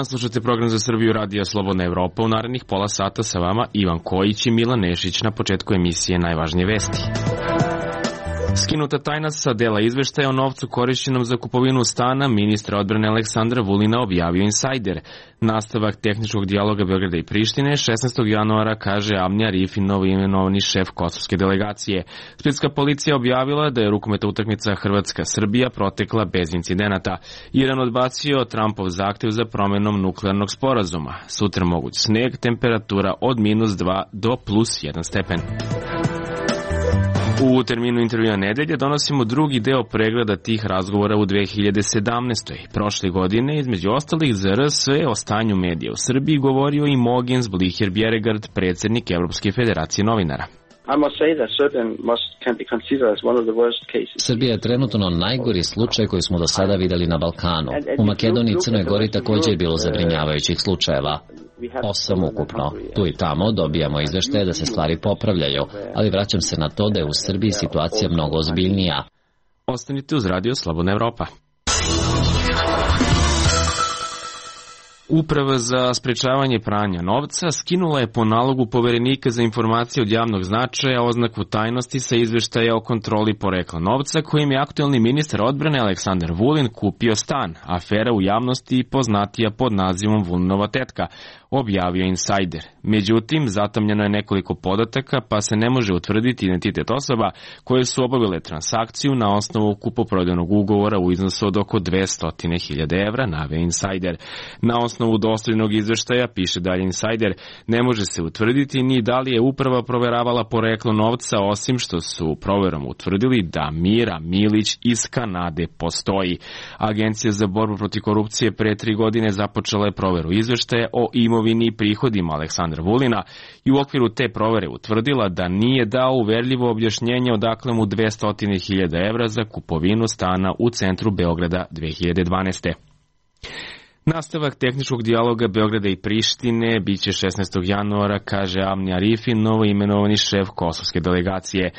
Slušate program za Srbiju Radija Slobodna Evropa. U narednih pola sata sa vama Ivan Kojić i Milan Nešić. Na početku emisije najvažnije vesti. Skinuta tajna sa dela izveštaja o novcu korišćenom za kupovinu stana ministra odbrane Aleksandra Vulina objavio Insajder. Nastavak tehničkog dijaloga Beograda i Prištine 16. januara, kaže Avni Arifi, novoimenovani šef kosovske delegacije. Splitska policija objavila da je rukometna utakmica Hrvatska-Srbija protekla bez incidenata. Iran odbacio Trumpov zahtev za promenom nuklearnog sporazuma. Sutra moguć sneg, temperatura od -2 do +1 stepen. U terminu intervjua nedelje donosimo drugi deo pregleda tih razgovora u 2017. Prošle godine, između ostalih, za RS o stanju medija u Srbiji govorio i Mogens Blicher Bjerregard, predsjednik Evropske federacije novinara. Srbija je trenutno najgori slučaj koji smo do sada videli na Balkanu. U Makedoniji i Crnoj Gori također je bilo zabrinjavajućih slučajeva. 8 ukupno. Tu i tamo dobijamo izveštaje da se stvari popravljaju, ali vraćam se na to da je u Srbiji situacija mnogo ozbiljnija. Ostanite uz Radio Slobodna Evropa. Uprava za sprečavanje pranja novca skinula je po nalogu Poverenika za informacije od javnog značaja oznaku tajnosti sa izveštaja o kontroli porekla novca kojim je aktuelni ministar odbrane Aleksandar Vulin kupio stan. Afera u javnosti poznatija pod nazivom Vulinova tetka, objavio Insajder. Međutim, zatamljeno je nekoliko podataka, pa se ne može utvrditi identitet osoba koje su obavile transakciju na osnovu kupoprodajnog ugovora u iznosu od oko 200.000 evra, naveo Insajder. Na osnovu dostavljenog izveštaja, piše dalje Insajder, ne može se utvrditi ni da li je uprava proveravala poreklo novca, osim što su proverom utvrdili da Mira Milić iz Kanade postoji. Agencija za borbu protiv korupcije pre 3 godine započela je proveru izveštaja o imovini i prihodima Aleksandra Vulina i u okviru te provere utvrdila da nije dao uverljivo objašnjenje odakle mu 200.000 evra za kupovinu stana u centru Beograda 2012. Nastavak tehničkog dijaloga Beograda i Prištine biće 16. januara, kaže Avni Arifi, novoimenovani šef kosovske delegacije.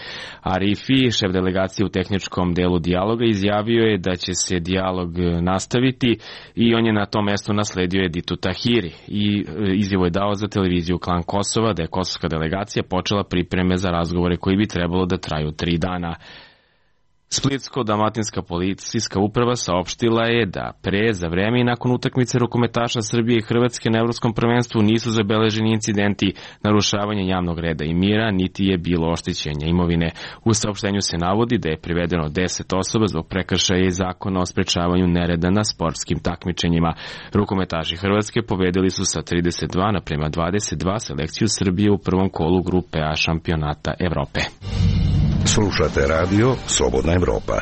Arifi, šef delegacije u tehničkom delu dijaloga, izjavio je da će se dijalog nastaviti i on je na tom mestu nasledio Editu Tahiri. I izjavu je dao za televiziju Klan Kosova da je kosovska delegacija počela pripreme za razgovore koji bi trebalo da traju 3 dana. Splitsko-dalmatinska policijska uprava saopštila je da pre, za vreme i nakon utakmice rukometaša Srbije i Hrvatske na Evropskom prvenstvu nisu zabeleženi incidenti narušavanja javnog reda i mira, niti je bilo oštećenja imovine. U saopštenju se navodi da je privedeno 10 osoba zbog prekršaja i zakona o sprečavanju nereda na sportskim takmičenjima. Rukometaši Hrvatske pobedili su sa 32:22 selekciju Srbije u prvom kolu grupe A šampionata Evrope. Slušate radio Slobodna Evropa.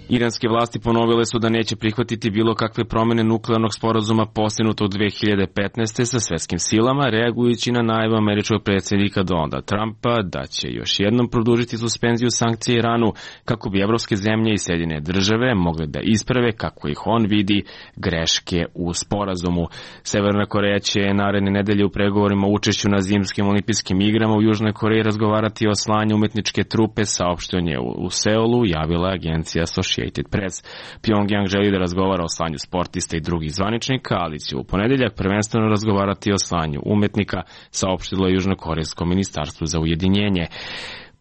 Iranske vlasti ponovile su da neće prihvatiti bilo kakve promjene nuklearnog sporazuma postignutog 2015. sa svetskim silama, reagujući na najavu američkog predsjednika Donalda Trumpa da će još jednom produžiti suspenziju sankcija Iranu kako bi evropske zemlje i Sjedinjene države mogle da isprave, kako ih on vidi, greške u sporazumu. Severna Koreja će naredne nedelje u pregovorima o učešću na zimskim olimpijskim igrama u Južnoj Koreji razgovarati o slanju umetničke trupe, saopšteno u Seulu, javila agencija Associated Press. Pyongyang želi da razgovara o slanju sportista i drugih zvaničnika, ali će u ponedeljak prvenstveno razgovarati o slanju umetnika, saopštilo je Južnokorejsko ministarstvo za ujedinjenje.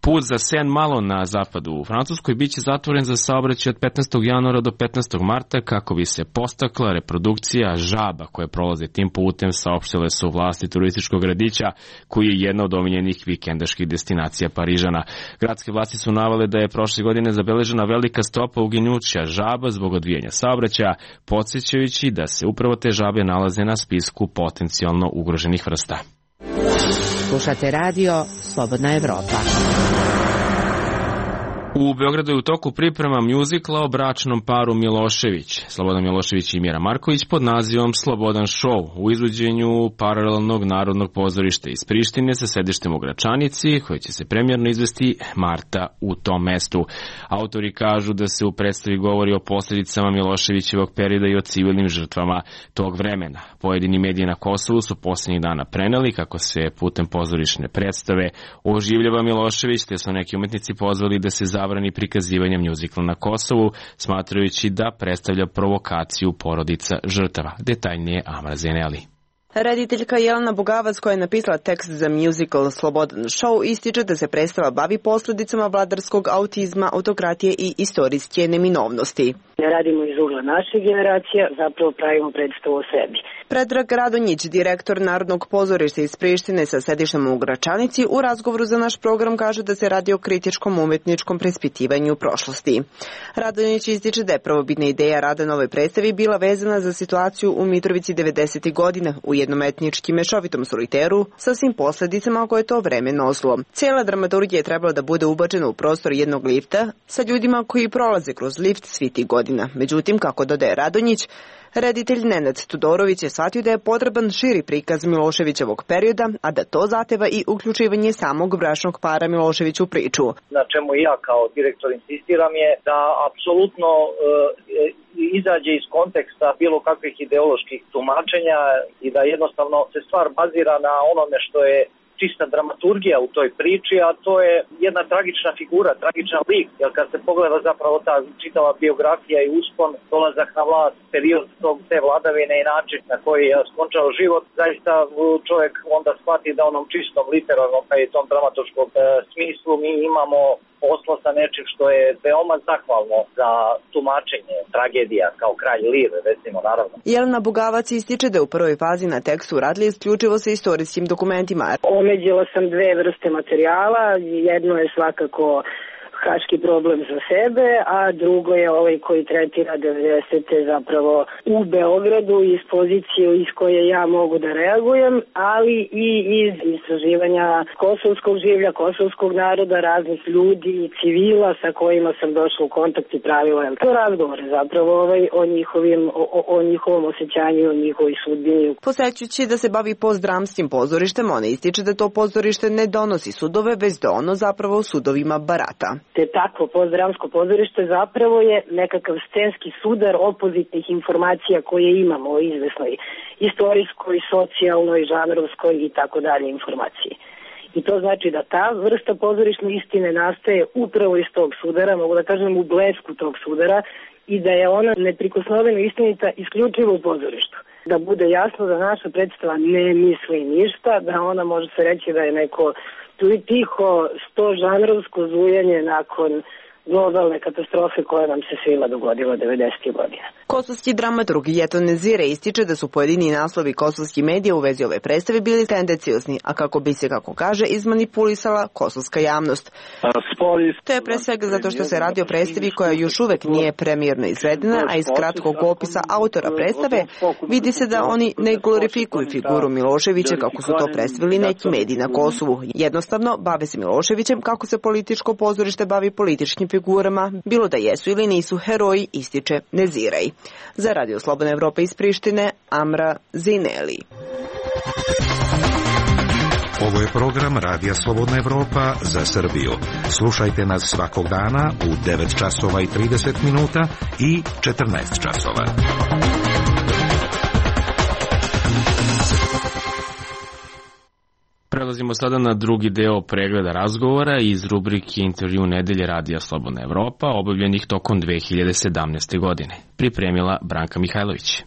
Put za Saint-Malo na zapadu u Francuskoj biće zatvoren za saobraćaj od 15. januara do 15. marta kako bi se postakla reprodukcija žaba koje prolaze tim putem, saopštile su vlasti turističkog gradića koji je jedna od omiljenih vikendaških destinacija Parižana. Gradske vlasti su navale da je prošle godine zabeležena velika stopa uginuća žaba zbog odvijanja saobraćaja, podsjećajući da se upravo te žabe nalaze na spisku potencijalno ugroženih vrsta. Slušate radio Slobodna Evropa. U Beogradu je u toku priprema mjuzikla o bračnom paru Milošević, Slobodan Milošević i Mira Marković, pod nazivom Slobodan show, u izvođenju paralelnog narodnog pozorišta iz Prištine sa sedištem u Gračanici, koji će se premijerno izvesti marta u tom mestu. Autori kažu da se u predstavi govori o posljedicama Miloševićevog perioda i o civilnim žrtvama tog vremena. Pojedini mediji na Kosovu su posljednjih dana preneli kako se putem pozorišne predstave oživljava Milošević, te su neki umetnici pozvali da se zabrani prikazivanja mjuzikla na Kosovu, smatrajući da predstavlja provokaciju porodica žrtava. Detaljnije Amra Zeneli. Rediteljka Jelena Bugavac, koja je napisala tekst za muzikal Slobodan show, ističe da se predstava bavi posljedicama vladarskog autizma, autokratije i istorijske neminovnosti. Ne radimo iz ugla naše generacije, zapravo pravimo predstavu o sebi. Predrag Radonjić, direktor Narodnog pozorišta iz Prištine sa sedištem u Gračanici, u razgovoru za naš program kaže da se radi o kritičkom umetničkom preispitivanju prošlosti. Radonjić ističe da je prvobitna ideja rada na ovoj predstavi bila vezana za situaciju u Mitrovici 90. godina u jednom etnički mešovitom soliteru sa svim posljedicama koje to vreme nosilo. Cijela dramaturgija je trebala da bude ubačena u prostor jednog lifta sa ljudima koji prolaze kroz lift svi tih godina. Međutim, kako dodaje Radonjić, reditelj Nenad Tudorović je shvatio da je potreban širi prikaz Miloševićevog perioda, a da to zahteva i uključivanje samog bračnog para Milošević u priču. Na čemu ja kao direktor insistiram je da apsolutno izađe iz konteksta bilo kakvih ideoloških tumačenja i da jednostavno se stvar bazira na onome što je čista dramaturgija u toj priči, a to je jedna tragična figura, tragičan lik, jer kad se pogleda zapravo ta čitava biografija i uspon, dolazak na vlast, period te vladavine i način na koji je skončao život, zaista čovjek onda shvati da onom čistom, literarnom, pa i tom dramaturškom smislu mi imamo posla sa nečim što je veoma zahvalno za tumačenje tragedija kao Kralj Lir, recimo, naravno. Jelena Bugavac ističe da je u prvoj fazi na tekstu radili isključivo sa istorijskim dokumentima. Omeđila sam dve vrste materijala, jedno je svakako haški problem za sebe, a drugo je ovaj koji tretira 90. zapravo u Beogradu iz pozicije iz koje ja mogu da reagujem, ali i iz istraživanja kosovskog življa, kosovskog naroda, raznih ljudi, civila sa kojima sam došla u kontakt i pravila razgovore zapravo o njihovom osjećanju, o njihovoj sudbini. Posjećujući da se bavi postdramskim pozorištem, ona ističe da to pozorište ne donosi sudove, već da ono zapravo sudovima barata. Te takvo postdramsko pozorište zapravo je nekakav scenski sudar opozitnih informacija koje imamo o izvesnoj istorijskoj, socijalnoj, žanrovskoj i tako dalje informaciji. I to znači da ta vrsta pozorišne istine nastaje upravo iz tog sudara, mogu da kažem u blesku tog sudara, i da je ona neprikosnoveno istinita isključivo u pozorištu. Da bude jasno da naša predstava ne misli ništa, da ona može se reći da je neko tu i tiho sto žanrovsko zujanje nakon globalne katastrofe koja nam se svima dogodila 90. godina. Kosovski dramaturg Jeton Nezire ističe da su pojedini naslovi kosovskih medija u vezi ove predstave bili tendenciozni, a kako bi se, kako kaže, izmanipulisala kosovska javnost. To je pre svega zato što se radi o predstavi koja još uvek nije premijerno izvedena, a iz kratkog opisa autora predstave vidi se da oni ne glorifikuju figuru Miloševića kako su to predstavili neki mediji na Kosovu. Jednostavno, bave se Miloševićem kako se političko pozorište bavi političkim figurama, bilo da jesu ili nisu heroji, ističe Neziraj. Za Radio Slobodna Evropa iz Prištine, Amra Zineli. Ovo je program Radija Slobodna Evropa za Srbiju. Slušajte nas svakog dana u 9 časova i 30 minuta i 14 časova. Prelazimo sada na drugi deo pregleda razgovora iz rubrike Intervju nedelje Radija Slobodna Evropa, obavljenih tokom 2017. godine. Pripremila Branka Mihajlović.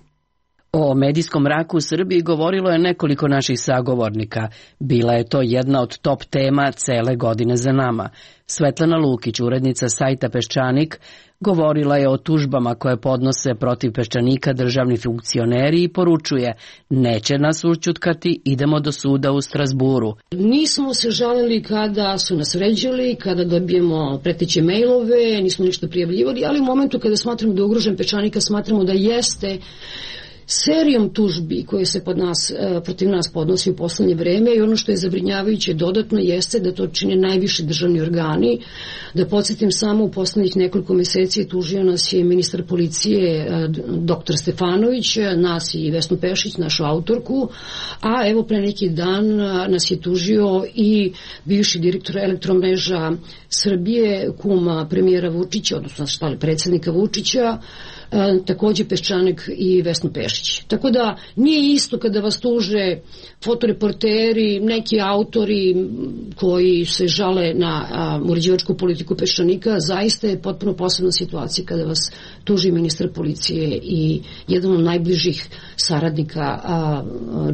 O medijskom mraku u Srbiji govorilo je nekoliko naših sagovornika. Bila je to jedna od top tema cele godine za nama. Svetlana Lukić, urednica sajta Peščanik, govorila je o tužbama koje podnose protiv Peščanika državni funkcioneri i poručuje: neće nas ućutkati, idemo do suda u Strazburu. Nismo se žalili kada su nas vređali, kada dobijemo preteće mailove, nismo ništa prijavljivali, ali u momentu kada smatramo da je ugrožen Peščanika, smatramo da jeste serijom tužbi koje se protiv nas podnosi u poslednje vreme, i ono što je zabrinjavajuće dodatno jeste da to čine najviši državni organi. Da podsjetim samo, u poslednjih nekoliko meseci tužio nas je ministar policije dr. Stefanović, nas i Vesnu Pešić, našu autorku, a evo pre neki dan nas je tužio i bivši direktor Elektromreža Srbije, kuma premijera Vučića, odnosno predsjednika Vučića, takođe Peščanik i Vesna Pešić. Tako da nije isto kada vas tuže fotoreporteri, neki autori koji se žale na uređivačku politiku Peščanika, zaista je potpuno posebna situacija kada vas tuži ministar policije i jedan od najbližih saradnika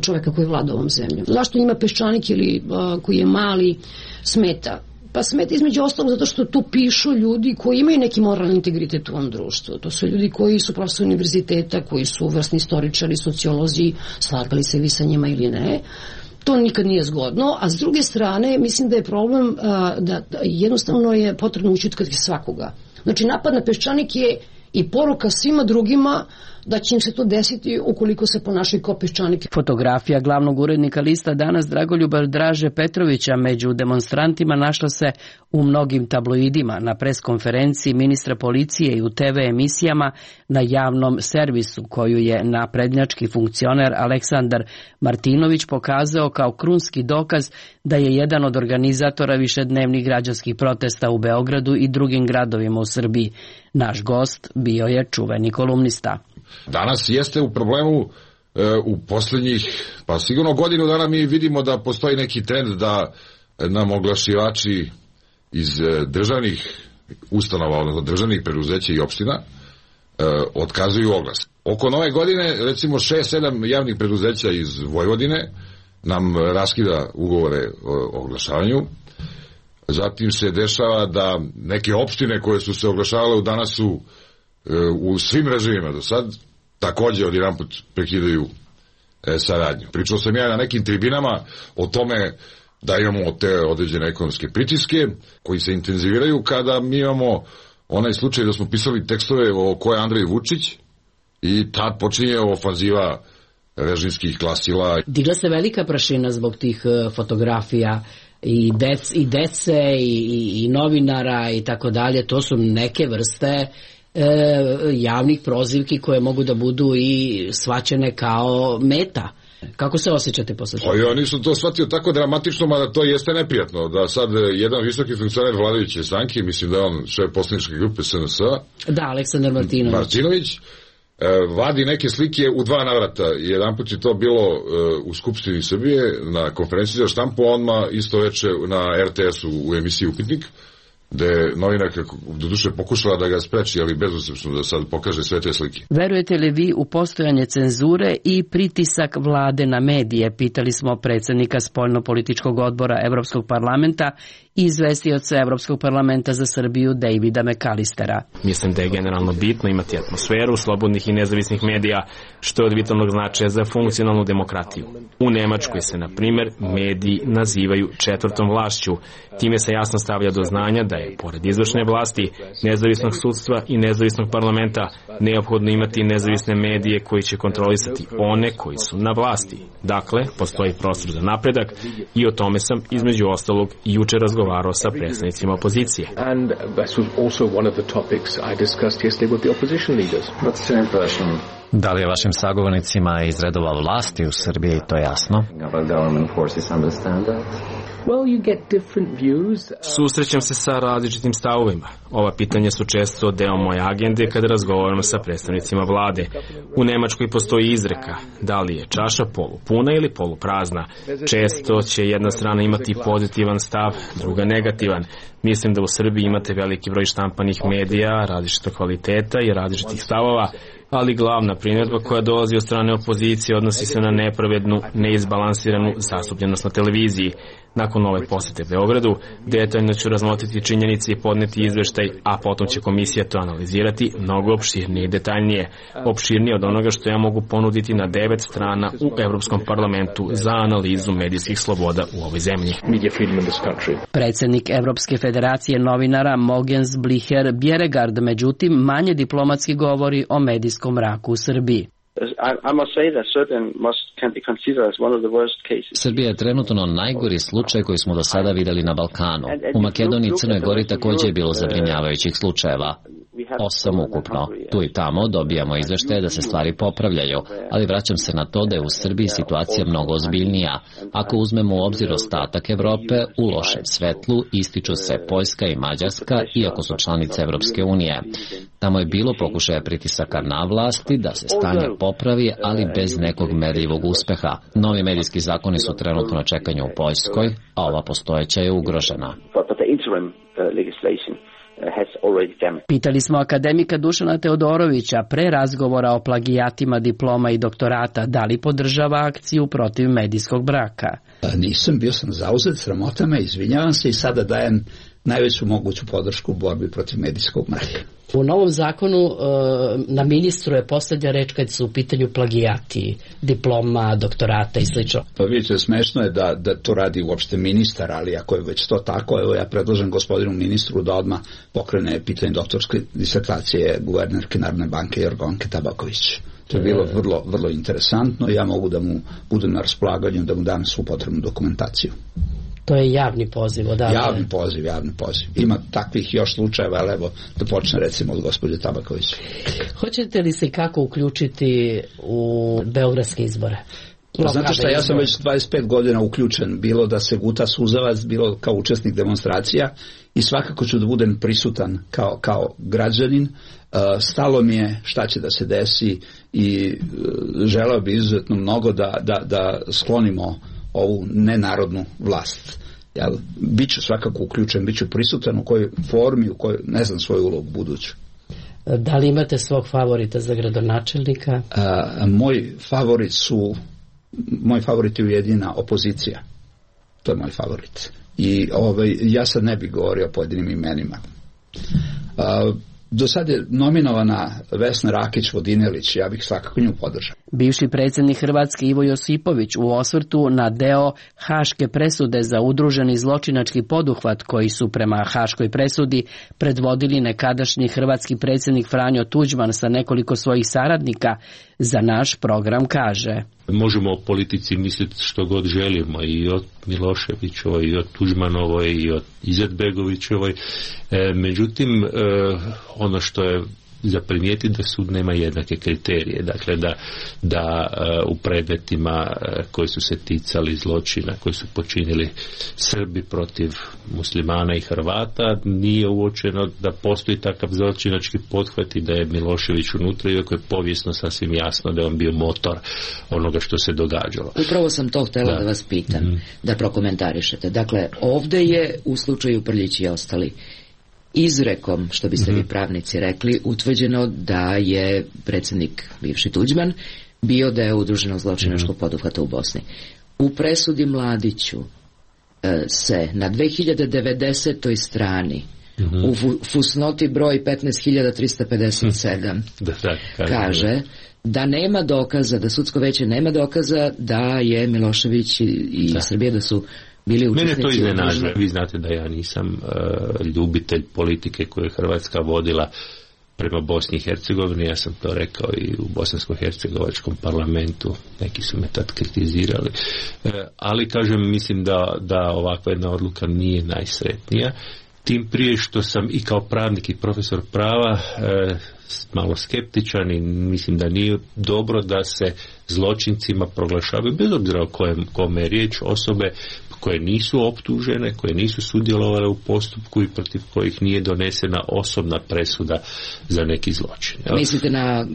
čoveka koji vlada ovom zemljom. Zašto njima Peščanik ili koji je mali smeta? Pa smeta između ostalog zato što tu pišu ljudi koji imaju neki moralni integritet u ovom društvu. To su ljudi koji su profesori univerziteta, koji su vrsni istoričari, sociolozi, slagali se vi sa njima ili ne. To nikad nije zgodno, a s druge strane mislim da je problem da jednostavno je potrebno ućutkati svakoga. Znači napad na Peščanik je i poruka svima drugima da će im se to desiti ukoliko se ponašaju kao Peščanik. Fotografija glavnog urednika lista Danas Dragoljuba Draže Petrovića među demonstrantima našla se u mnogim tabloidima, na preskonferenciji ministra policije i u TV emisijama na javnom servisu koju je naprednjački funkcioner Aleksandar Martinović pokazao kao krunski dokaz da je jedan od organizatora višednevnih građanskih protesta u Beogradu i drugim gradovima u Srbiji. Naš gost bio je čuveni kolumnista. Danas jeste u problemu u posljednjih, pa sigurno godinu dana mi vidimo da postoji neki trend da nam oglašivači iz državnih ustanova, odnosno državnih preduzeća i opština otkazuju oglas. Oko nove godine, recimo 6-7 javnih preduzeća iz Vojvodine nam raskida ugovore o oglašavanju. Zatim se dešava da neke opštine koje su se oglašavale danas su u svim režimima do sad takođe odjedanput prekidaju saradnju. Pričao sam ja na nekim tribinama o tome da imamo te određene ekonomske pritiske koji se intenziviraju kada mi imamo onaj slučaj da smo pisali tekstove o ko je Andrej Vučić i tad počinje ofanziva režimskih glasila. Digla se velika prašina zbog tih fotografija i dece i novinara i tako dalje. To su neke vrste javnih prozivki koje mogu da budu i shvaćene kao meta. Kako se osjećate posle toga? Ja nisam to shvatio tako dramatično, mada to jeste neprijatno, da sad jedan visoki funkcioner vladajuće stranke, mislim da je on šef poslaničke grupe SNS, da, Aleksandar Martinović, vadi neke slike u dva navrata. Jedanput je to bilo u Skupštini Srbije na konferenciji za štampu, odmah isto veče na RTS-u u emisiji Upitnik, gde je novinarka doduše pokušala da ga spreči, ali bezuspešno da sad pokaže sve te slike. Verujete li vi u postojanje cenzure i pritisak vlade na medije? Pitali smo predsjednika spoljno-političkog odbora Evropskog parlamenta i izvestioca Evropskog parlamenta za Srbiju Davida McAllistera. Mislim da je generalno bitno imati atmosferu slobodnih i nezavisnih medija, što je od vitalnog značaja za funkcionalnu demokratiju. U Nemačkoj se, na primjer, mediji nazivaju četvrtom vlašću. Time se jasno stavlja do znanja da je, pored izvršne vlasti, nezavisnog sudstva i nezavisnog parlamenta, neophodno imati nezavisne medije koji će kontrolisati one koji su na vlasti. Dakle, postoji prostor za napredak i o tome sam, između ostalog, juče razgovarao sa predstavnicima opozicije. Da li je vašim sagovornicima iz redova vlasti u Srbiji to jasno? Susrećem se sa različitim stavovima. Ova pitanja su često deo moje agende kada razgovaram sa predstavnicima vlade. U Nemačkoj postoji izreka, da li je čaša polupuna ili poluprazna. Često će jedna strana imati pozitivan stav, druga negativan. Mislim da u Srbiji imate veliki broj štampanih medija, različitog kvaliteta i različitih stavova, ali glavna primjedba koja dolazi od strane opozicije odnosi se na nepravednu, neizbalansiranu zastupljenost na televiziji. Nakon ove posete Beogradu, detaljno ću razmotriti činjenice i podneti izveštaj, a potom će komisija to analizirati mnogo opširnije i detaljnije. Opširnije od onoga što ja mogu ponuditi na 9 strana u Evropskom parlamentu za analizu medijskih sloboda u ovoj zemlji. Predsjednik Evropske federacije novinara Mogens Blicher Bjerregard, međutim, manje diplomatski govori o medijskom mraku u Srbiji. Srbija je trenutno najgori slučaj koji smo do sada videli na Balkanu. U Makedoniji i Crnoj Gori također je bilo zabrinjavajućih slučajeva. 8 ukupno. Tu i tamo dobijamo izveštaje da se stvari popravljaju, ali vraćam se na to da je u Srbiji situacija mnogo ozbiljnija. Ako uzmemo u obzir ostatak Evrope, u lošem svetlu ističu se Poljska i Mađarska, iako su članice Evropske unije. Tamo je bilo pokušaja pritisaka na vlasti da se stanje popravi, ali bez nekog merljivog uspeha. Novi medijski zakoni su trenutno na čekanju u Poljskoj, a ova postojeća je ugrožena. Pitali smo akademika Dušana Teodorovića pre razgovora o plagijatima diploma i doktorata da li podržava akciju protiv medijskog braka. Nisam, bio sam zauzet, sramota me, izvinjavam se i sada dajem najveću moguću podršku u borbi protiv medijskog mraka. U novom zakonu na ministru je poslednja reč kad su u pitanju plagijati diploma, doktorata i sl. Pa vidite, smešno je da to radi uopšte ministar, ali ako je već to tako, evo ja predlažem gospodinu ministru da odmah pokrene pitanje doktorske disertacije guvernerke Narodne banke Jorgovanke Tabaković. To je bilo vrlo, vrlo interesantno i ja mogu da mu budem na raspolaganju, da mu dam svu potrebnu dokumentaciju. To je javni poziv, odavde. Javni poziv. Ima takvih još slučajeva, ali evo da počne recimo od gospođe Tabaković. Hoćete li se kako uključiti u beogradske izbore? Pa znate šta, ja sam već 25 godina uključen, bilo da se guta suzavac, bilo kao učesnik demonstracija i svakako ću da budem prisutan kao građanin. Stalo mi je šta će da se desi i želeo bi izuzetno mnogo da sklonimo ovu nenarodnu vlast. Ja biću svakako uključen, biću prisutan u kojoj formi, u kojoj ne znam svoju ulogu buduću. Da li imate svog favorita za gradonačelnika? Moj favorit je Ujedinjena opozicija. To je moj favorit. I ja sad ne bih govorio o pojedinim imenima. Do sad je nominovana Vesna Rakić-Vodinelić, ja bih svakako nju podržao. Bivši predsjednik Hrvatske Ivo Josipović u osvrtu na deo haške presude za udruženi zločinački poduhvat koji su prema haškoj presudi predvodili nekadašnji hrvatski predsjednik Franjo Tuđman sa nekoliko svojih saradnika, za naš program kaže: Možemo o politici misliti što god želimo, i od Miloševićovoj, i od Tuđmanovoj, i od Izetbegovićevoj. Međutim, ono što je za primijeti da sud nema jednake kriterije. Dakle, da u predmetima koji su se ticali zločina, koji su počinili Srbi protiv muslimana i Hrvata, nije uočeno da postoji takav zločinački pothvat i da je Milošević unutra, iako je povijesno sasvim jasno da je on bio motor onoga što se događalo. Upravo sam to htjela da vas pitam, da prokomentarišete. Dakle, ovdje je u slučaju Prljić i ostali izrekom, što biste vi pravnici rekli, utvrđeno da je predsjednik bivši Tuđman bio da je udruženo zločinačkog poduhvata u Bosni. U presudi Mladiću se na 2090. strani u fusnoti broj 15.357 kaže da nema dokaza, da sudsko veće nema dokaza da je Milošević i Srbija da su bili učesnici. Mene to iznenađuje. Vi znate da ja nisam ljubitelj politike koju je Hrvatska vodila prema Bosni i Hercegovini. Ja sam to rekao i u bosansko-hercegovačkom parlamentu. Neki su me tad kritizirali. Ali kažem, mislim da ovakva jedna odluka nije najsretnija. Tim prije što sam i kao pravnik i profesor prava malo skeptičan i mislim da nije dobro da se zločincima proglašavaju, bez obzira o kome je riječ, osobe koje nisu optužene, koje nisu sudjelovale u postupku i protiv kojih nije donesena osobna presuda za neki zločin. Mislite na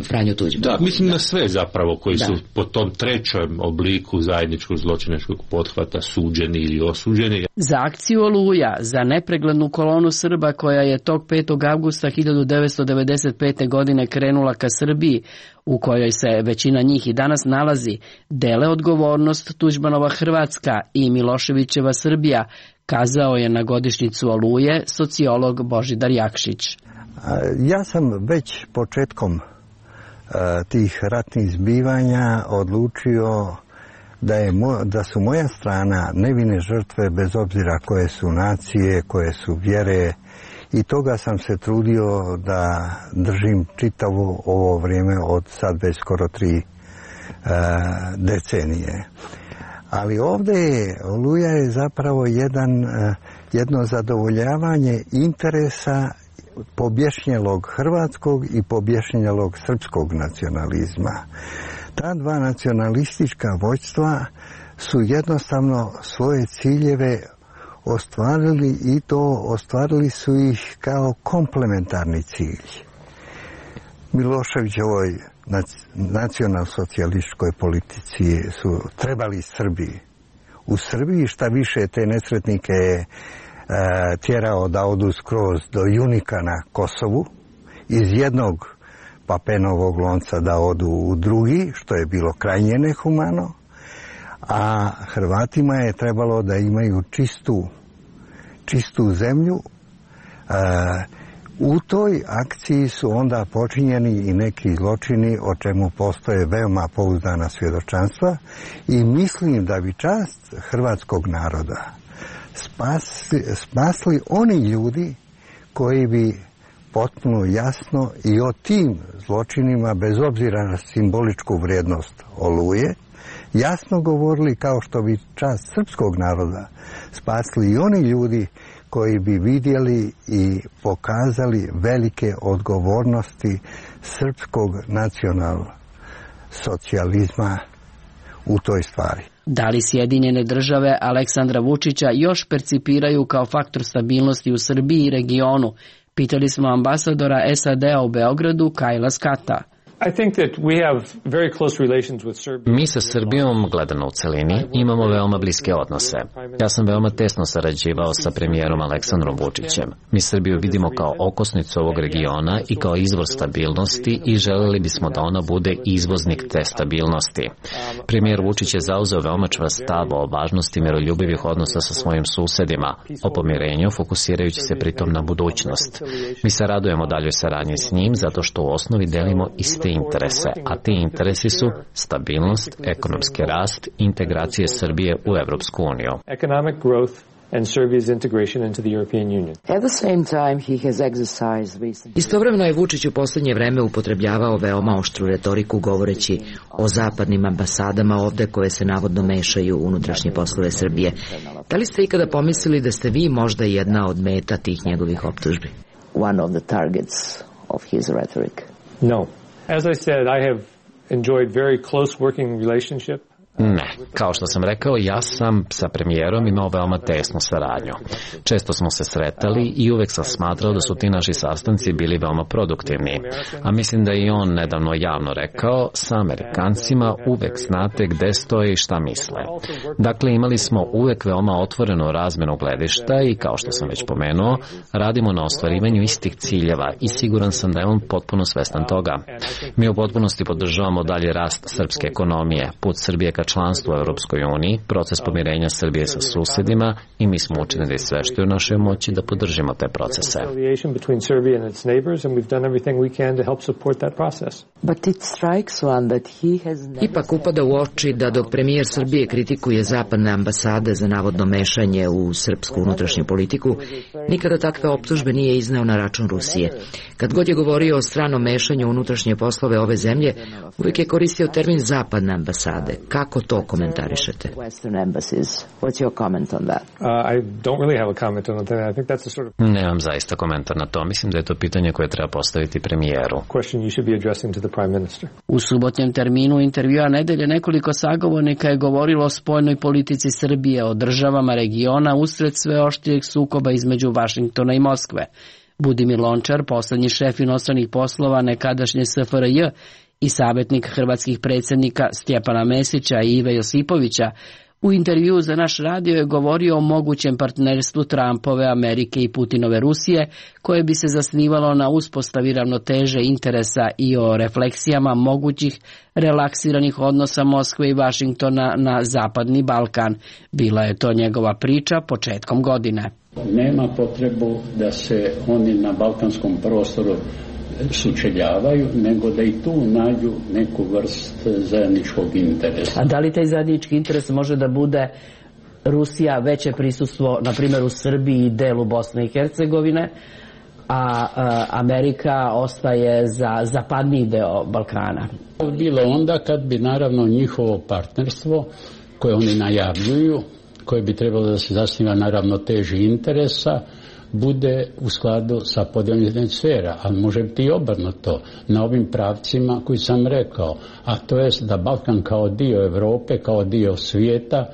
Franju Tuđmana? Da, mislim na sve zapravo koji su po tom trećem obliku zajedničkog zločinačkog pothvata suđeni ili osuđeni. Za akciju Oluja, za nepreglednu kolonu Srba koja je tog 5. avgusta 1995. godine krenula ka Srbiji, u kojoj se većina njih i danas nalazi, dele odgovornost Tuđmanova Hrvatska i Miloševićeva Srbija, kazao je na godišnjicu Oluje sociolog Božidar Jakšić. Ja sam već početkom tih ratnih zbivanja odlučio da su moja strana nevine žrtve, bez obzira koje su nacije, koje su vjere, i toga sam se trudio da držim čitavo ovo vrijeme od sad već skoro 3 decenije. Ali ovdje Oluja je zapravo jedno zadovoljavanje interesa pobješnjelog hrvatskog i pobješnjelog srpskog nacionalizma. Ta dva nacionalistička vođstva su jednostavno svoje ciljeve ostvarili i to ostvarili su ih kao komplementarni cilj. Miloševićevoj nacionalsocijalističkoj politici su trebali Srbiji. U Srbiji šta više te nesretnike je tjerao da odu skroz do Junika na Kosovu, iz jednog papenovog lonca da odu u drugi, što je bilo krajnje nehumano, a Hrvatima je trebalo da imaju čistu zemlju. U toj akciji su onda počinjeni i neki zločini o čemu postoje veoma pouzdana svjedočanstva i mislim da bi čast hrvatskog naroda spasli oni ljudi koji bi potpuno jasno i o tim zločinima, bez obzira na simboličku vrijednost Oluje, jasno govorili, kao što bi čast srpskog naroda spasli i oni ljudi koji bi vidjeli i pokazali velike odgovornosti srpskog nacionalsocijalizma u toj stvari. Da li Sjedinjene države Aleksandra Vučića još percipiraju kao faktor stabilnosti u Srbiji i regionu? Pitali smo ambasadora SAD-a u Beogradu, Kajla Skata. Mi sa Srbijom, gledano u celini, imamo veoma bliske odnose. Ja sam veoma tesno sarađivao sa premijerom Aleksandrom Vučićem. Mi Srbiju vidimo kao okosnicu ovog regiona i kao izvor stabilnosti i želeli bismo da ona bude izvoznik te stabilnosti. Premijer Vučić je zauzeo veoma čvrst stav o važnosti miroljubivih odnosa sa svojim susedima, o pomirenju, fokusirajući se pritom na budućnost. Mi se radujemo daljoj saradnji s njim zato što u osnovi delimo iste interese, a ti interesi su stabilnost, ekonomski rast, integracije Srbije u Evropsku uniju. Istovremeno je Vučić u posljednje vreme upotrebljavao veoma oštru retoriku govoreći o zapadnim ambasadama ovde koje se navodno mešaju u unutrašnje poslove Srbije. Da li ste ikada pomislili da ste vi možda jedna od meta tih njegovih optužbi? One of the targets of his rhetoric. No. As I said, I have enjoyed very close working relationship. Ne, kao što sam rekao, ja sam sa premijerom imao veoma tesnu saradnju. Često smo se sretali i uvek sam smatrao da su ti naši sastanci bili veoma produktivni. A mislim da je i on nedavno javno rekao, sa Amerikancima uvek znate gde stoje i šta misle. Dakle, imali smo uvek veoma otvorenu razmenu gledišta i, kao što sam već pomenuo, radimo na ostvarivanju istih ciljeva i siguran sam da je on potpuno svestan toga. Mi u potpunosti podržavamo dalje rast srpske ekonomije, put Srbije ka članstvu u Europskoj uniji, proces pomirenja Srbije sa susedima i mi smo učinili sve što je u našoj moći da podržimo te procese. Ipak upada u oči da dok premijer Srbije kritikuje zapadne ambasade za navodno mešanje u srpsku unutrašnju politiku, nikada takve optužbe nije izneo na račun Rusije. Kad god je govorio o stranom mešanju u unutrašnje poslove ove zemlje, uvijek je koristio termin zapadne ambasade. Kako to komentarišete? Nemam zaista komentar na to. Mislim da je to pitanje koje treba postaviti premijeru. U subotnjem terminu intervjua nedelje nekoliko sagovornika je govorilo o spoljnoj politici Srbije, o državama regiona usred sve oštrijeg sukoba između Vašingtona i Moskve. Budimir Lončar, poslednji šef inostranih poslova nekadašnje SFRJ i savjetnik hrvatskih predsjednika Stjepana Mesića i Ive Josipovića, u intervjuu za naš radio je govorio o mogućem partnerstvu Trumpove Amerike i Putinove Rusije, koje bi se zasnivalo na uspostavi ravnoteže interesa i o refleksijama mogućih relaksiranih odnosa Moskve i Vašingtona na Zapadni Balkan. Bila je to njegova priča početkom godine. Nema potrebu da se oni na balkanskom prostoru sučeljavaju, nego da i tu nađu neku vrst zajedničkog interesa. A da li taj zajednički interes može da bude Rusija veće prisustvo, na primjer u Srbiji i delu Bosne i Hercegovine, a Amerika ostaje za zapadniji deo Balkana? Bilo onda kad bi naravno njihovo partnerstvo koje oni najavljuju, koje bi trebalo da se zasniva na ravnoteži interesa, bude u skladu sa podjeljenih sfera, ali može biti i obrnuto na ovim pravcima koji sam rekao, a to je da Balkan kao dio Europe, kao dio svijeta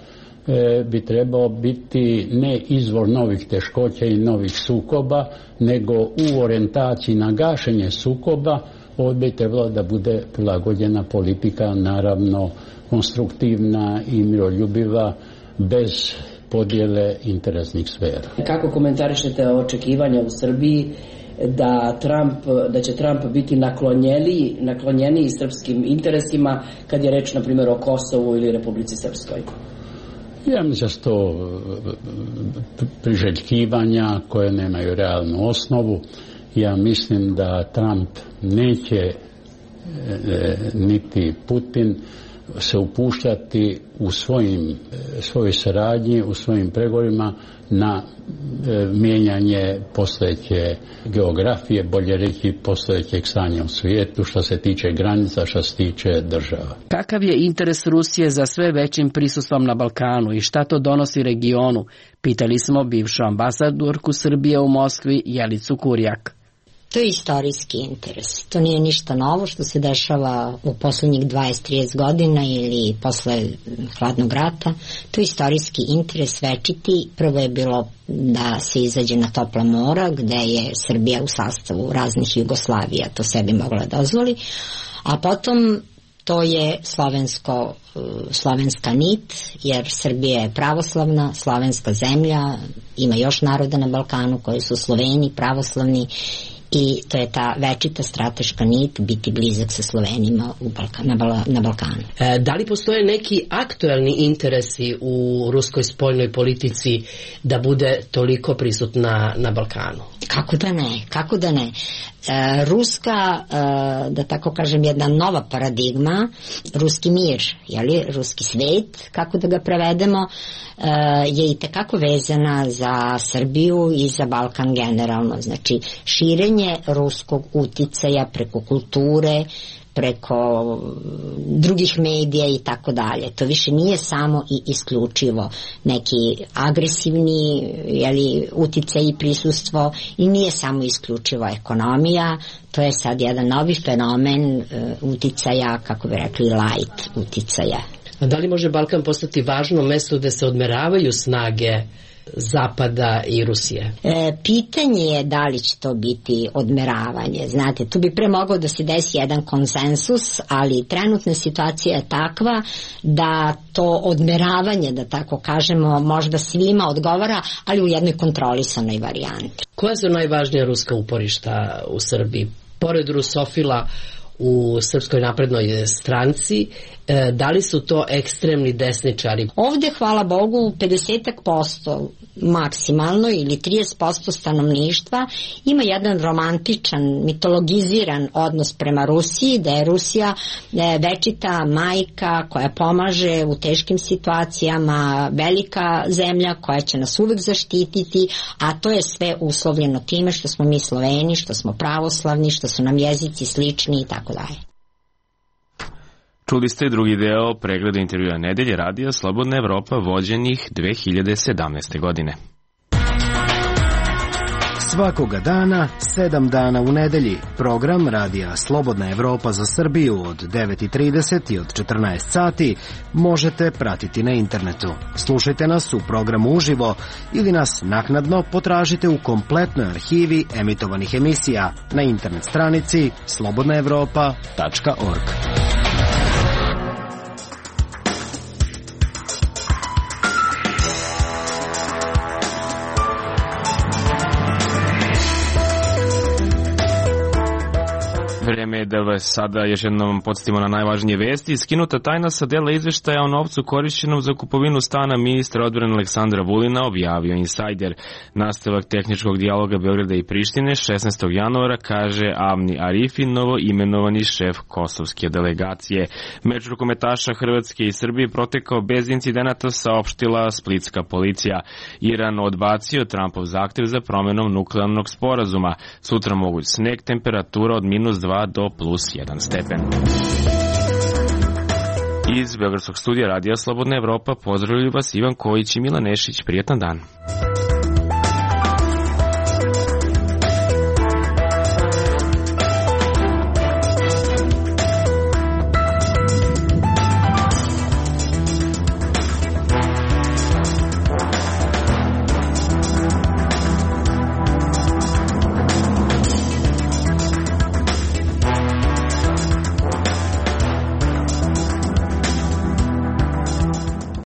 bi trebao biti ne izvor novih teškoća i novih sukoba, nego u orijentaciji na gašenje sukoba. Ovdje bi trebalo da bude prilagođena politika, naravno konstruktivna i miroljubiva, bez podjele interesnih sfera. Kako komentarišete očekivanja u Srbiji da će Trump biti naklonjeniji srpskim interesima kad je reč, na primjer, o Kosovu ili Republici Srpskoj? Ja mislim da su to priželjkivanja koje nemaju realnu osnovu. Ja mislim da Trump neće niti Putin se upuštati u svojoj saradnji, u svojim pregovorima na mijenjanje postojeće geografije, bolje reći postojećeg stanja u svijetu što se tiče granica, što se tiče država. Kakav je interes Rusije za sve većim prisustvom na Balkanu i šta to donosi regionu? Pitali smo bivšu ambasadorku Srbije u Moskvi Jelicu Kurjak. To je istorijski interes. To nije ništa novo što se dešava u posljednjih 20-30 godina ili posle hladnog rata. To je istorijski interes večiti. Prvo je bilo da se izađe na topla mora gde je Srbija u sastavu raznih Jugoslavija to sebi mogla dozvoli. A potom to je slovenska nit, jer Srbija je pravoslavna, slovenska zemlja, ima još naroda na Balkanu koji su Sloveni, pravoslavni, i to je ta večita strateška nit biti blizak sa Slovenima na Balkanu. Da li postoje neki aktuelni interesi u ruskoj spoljnoj politici da bude toliko prisutna na Balkanu? Kako da ne? Ruska, da tako kažem, jedna nova paradigma, ruski mir, ruski svet, kako da ga prevedemo, je i tekako vezana za Srbiju i za Balkan generalno. Znači, širenje ruskog uticaja preko kulture, preko drugih medija i tako dalje. To više nije samo i isključivo neki agresivni uticaj i prisustvo i nije samo isključivo ekonomija. To je sad jedan novi fenomen uticaja, kako bi rekli, light uticaja. A da li može Balkan postati važno mesto gde se odmeravaju snage Zapada i Rusije? Pitanje je da li će to biti odmeravanje. Znate, tu bi pre mogao da se desi jedan konsensus, ali trenutna situacija je takva da to odmeravanje, da tako kažemo, možda svima odgovara, ali u jednoj kontrolisanoj varijanti. Koja su najvažnija ruska uporišta u Srbiji? Pored rusofila u Srpskoj naprednoj stranci, da li su to ekstremni desničari? Ovdje, hvala Bogu, 50% maksimalno ili 30% stanovništva ima jedan romantičan, mitologiziran odnos prema Rusiji, da je Rusija večita majka koja pomaže u teškim situacijama, velika zemlja koja će nas uvek zaštititi, a to je sve uslovljeno time što smo mi Sloveni, što smo pravoslavni, što su nam jezici slični i tako dalje. Čuli ste drugi deo pregleda intervjua nedelje radija Slobodna Evropa vođenih 2017. godine. Svakoga dana, 7 dana u nedelji, program radija Slobodna Evropa za Srbiju od 9:30 i od 14 sati možete pratiti na internetu. Slušajte nas u programu uživo ili nas naknadno potražite u kompletnoj arhivi emitovanih emisija na internet stranici slobodnaevropa.org. Vreme je da vas sada još jednom podsjetimo na najvažnije vesti. Skinuta tajna sa dela izveštaja o novcu korišćenom za kupovinu stana ministra odbrane Aleksandra Vulina, objavio Insajder. Nastavak tehničkog dijaloga Beograda i Prištine 16. januara, kaže Avni Arifi, novo imenovani šef kosovske delegacije. Meč rukometaša Hrvatske i Srbije protekao bez incidenata, saopštila splitska policija. Iran odbacio Trumpov zahtev za promenom nuklearnog sporazuma. Sutra moguć sneg, temperatura od -2 do +1 stepen. Iz Beogradskog studija radija Slobodna Evropa pozdravljaju vas Ivan Kojić i Milan Nešić. Prijetan dan.